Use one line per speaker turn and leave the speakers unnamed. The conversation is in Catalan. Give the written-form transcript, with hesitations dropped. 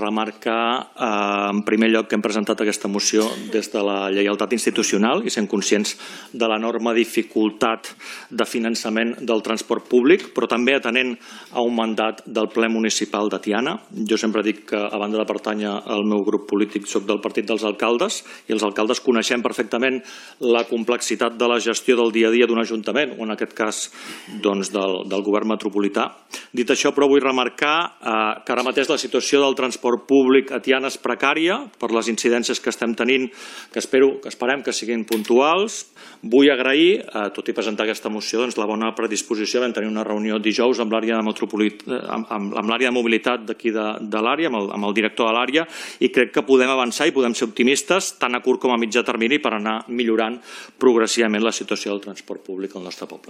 Remarcar, en primer lloc, que hem presentat aquesta moció des de la lleialtat institucional i sent conscients de l'enorme dificultat de finançament del transport públic, però també atenent a un mandat del ple municipal de Tiana. Jo sempre dic que, a banda de pertànyer al meu grup polític, soc del Partit dels Alcaldes i els alcaldes coneixem perfectament la complexitat de la gestió del dia a dia d'un ajuntament, o en aquest cas del govern metropolità. Dit això, però, vull remarcar que ara mateix la situació del transport públic a Tiana és precària per les incidències que estem tenint, que esperem que siguin puntuals. Vull agrair, tot i presentar aquesta moció, la bona predisposició. Vam tenir una reunió dijous amb l'àrea de mobilitat d'aquí de l'àrea, amb el director de l'àrea, i crec que podem avançar i podem ser optimistes tant a curt com a mitjà termini per anar millorant progressivament la situació del transport públic al nostre poble.